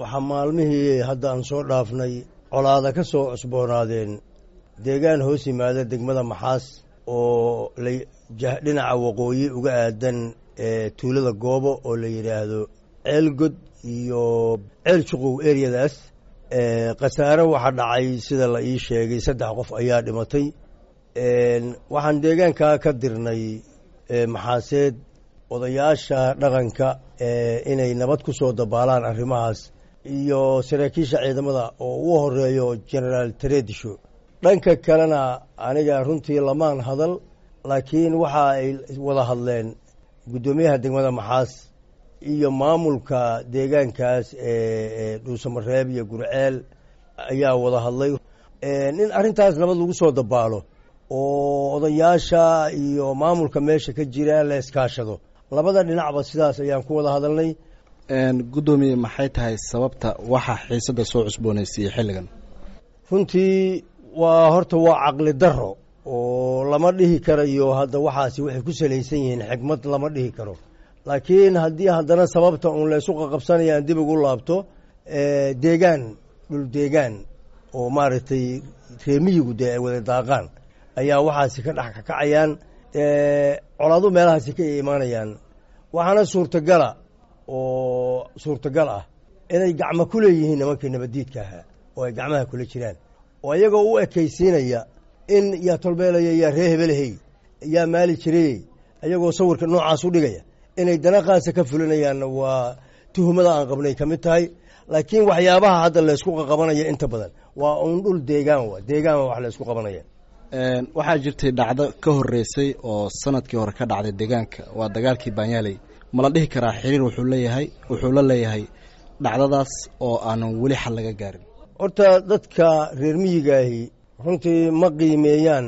Waxaa maalmihii hadda aan soo dhaafnay colaada ka soo cusboonaadeen deegaan hoos yimaada degmada Maxaas oo dhinaca waqooyi uga aadan tuulada Goobo oo la yidhaahdo Ceelgod iyo Ceel Juqow ereyadaas. Khasaare waxaa dhacay, sida la ii sheegay, 3 qof ayaa dhimatay. Waxaan deegaankaa ka dirnay Maxaaseed odayaasha dhaqanka inay nabad ku soo dabaalaan arrimahaas iyo saraakiisha ciidamada oo ugu horeeyo Generaal Taredisho. Dhanka kalena aniga runtii lamaan hadal, laakiin waxa ay wada hadleen guddoomiyaha degmada Maxaas iyo maamulka deegaankaas ee Dhuusamareeb iyo Gurceel ayaa wada hadlay in arrintaas nabad lagu soo dabaalo oo odayaasha iyo maamulka meesha ka jira la iskaashado. Labada dhinacba sidaas ayaan ku wada hadalnay. Guddoomiye, maxay tahay sababta waxa xiisadda soo cusboonaysiiyey xilligan? Runtii waa horta waa caqli daro oo lama dhihi karayo hadda waxaasi waxay ku salaysan yihiin xikmad, lama dhihi karo. Laakiin haddii haddana sababta uun laysu qaqabsanaya aan dib ugu laabto, deegaan, dhul deegaan oo maaragtay reemiyigu dee ay wada daaqaan ayaa waxaasi ka dhex kakacayaan, colaadu meelahaasi ka imaanayaan. Waxaana suurtagala oo suurtagal ah inay gacmo ku leeyihiin nimankii nabaddiidka ahaa oo ay gacmaha kula jiraan, oo iyagoo u ekaysiinaya in yaa tolbeelaya, yaa ree hebelhey, yaa maali jirayey, iyagoo sawirka noocaas u dhigaya inay danaqaasa ka fulinayaanna waa tuhumada aan qabnay ka mid tahay. Laakiin waxyaabaha hadda laysku qaqabanaya inta badan waa uun dhul deegaan, wa deegaan wax laysku qabanaya. Waxaa jirtay dhacdo ka horreysay oo sanadkii hore ka dhacday deegaanka, waa dagaalkii Baanyaaley. Ma la dhihi karaa xiriir wuxuu leeyahay, wuxuu la leeyahay dhacdadaas oo aanan weli xal laga gaarin? Horta dadka reer miyigaahi runtii ma qiimeeyaan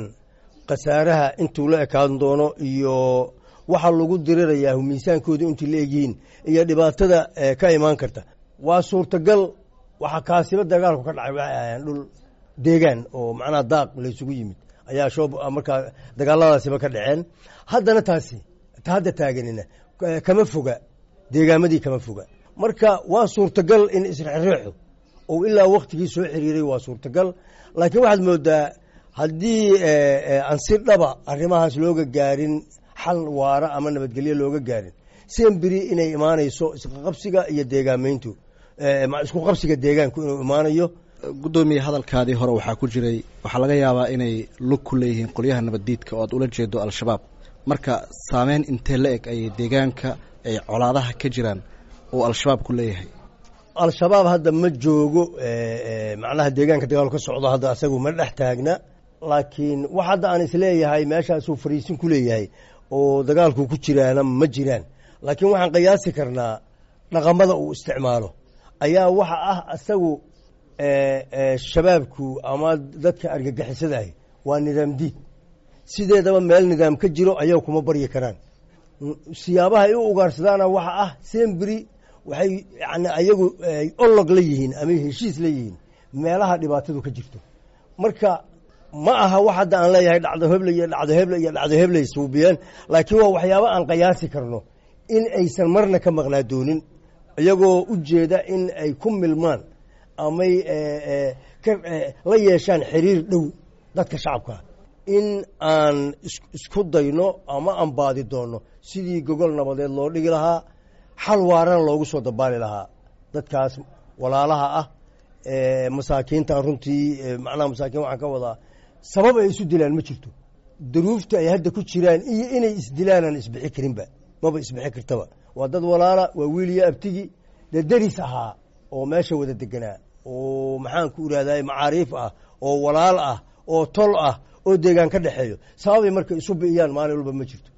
khasaaraha intuu la ekaan doono iyo waxa lagu dirirayaa miisaankoodu intii la egyihiin iyo dhibaatada ka imaan karta. Waa suurtagal. Waxaa kaasiba dagaalku ka dhacay waxay ahayeen dhul deegaan oo macnaha daaq laysugu yimid ayaa shoob markaa dagaaladaasiba ka dhaceen. Haddana taasi ta hadda taaganina kama foga, deegaamadii kama foga. Marka waa suurtagal in isrexreexu oo ilaa waktigii soo xiriiray, waa suurtagal. Laakiin waxaad moodaa haddii aan si dhaba arrimahaas looga gaarin xal waara ama nabadgelyo looga gaarin, semberi inay imaanayso isqaqabsiga iyo deegaameyntu, isku qabsiga deegaanku inuu imaanayo. Guddoomiye, hadalkaadii hore waxaa ku jiray waxaa laga yaabaa inay lug ku leeyihiin qolyaha nabaddiidka oo aad ula jeedo Al-Shabaab. Marka saameyn intee la eg ayay deegaanka ay colaadaha ka jiraan oo Al-Shabaab ku leeyahay? Al-Shabaab hadda ma joogo macnaha deegaanka dagaalu ka socdo, hadda asagu ma dhex taagna. Laakiin wax hadda aan isleeyahay meeshaasuu fariisin ku leeyahay oo dagaalku ku jiraana ma jiraan. Laakiin waxaan qiyaasi karnaa dhaqamada uu isticmaalo ayaa waxa ah asagu shabaabku ama dadka argagixisada ahi waa nidaam diid. Sideedaba meel nidaam ka jiro ayaga kuma baryi karaan. Siyaabaha ay u ugaarsadaana waxa ah sembri waxay yani ayagu olog la yihiin ama heshiis la yihiin meelaha dhibaatadu ka jirto. Marka ma aha wax hadda aan leeyahay dhacdo heble iyo dhacdo heble iyo dhacdo hebley suubiyeen, laakiin waa waxyaabo aan qiyaasi karno in aysan marna ka maqnaa doonin, iyagoo u jeeda in ay ku milmaan amay la yeeshaan xiriir dhow dadka shacabkaa, in aan isku dayno ama aan baadi doonno sidii gogol nabadeed loo dhigi lahaa, xal waarana loogu soo dabaali lahaa dadkaas walaalaha ah masaakiinta. Runtii macnaha masaakiin waxaan ka wadaa sabab ay isu dilaan ma jirto. Duruufta ay hadda ku jiraan iyo inay isdilaanaan isbixi karinba, maba isbixi kartaba. Waa dad walaala, waa wiil iyo abtigi, dee deris ahaa oo meesha wada deganaa oo maxaan ku irahday macaariif ah oo walaal ah oo tol ah oo deegaan ka dhexeeyo. Sababay marka isu bi'iyaan maalin walba ma jirto.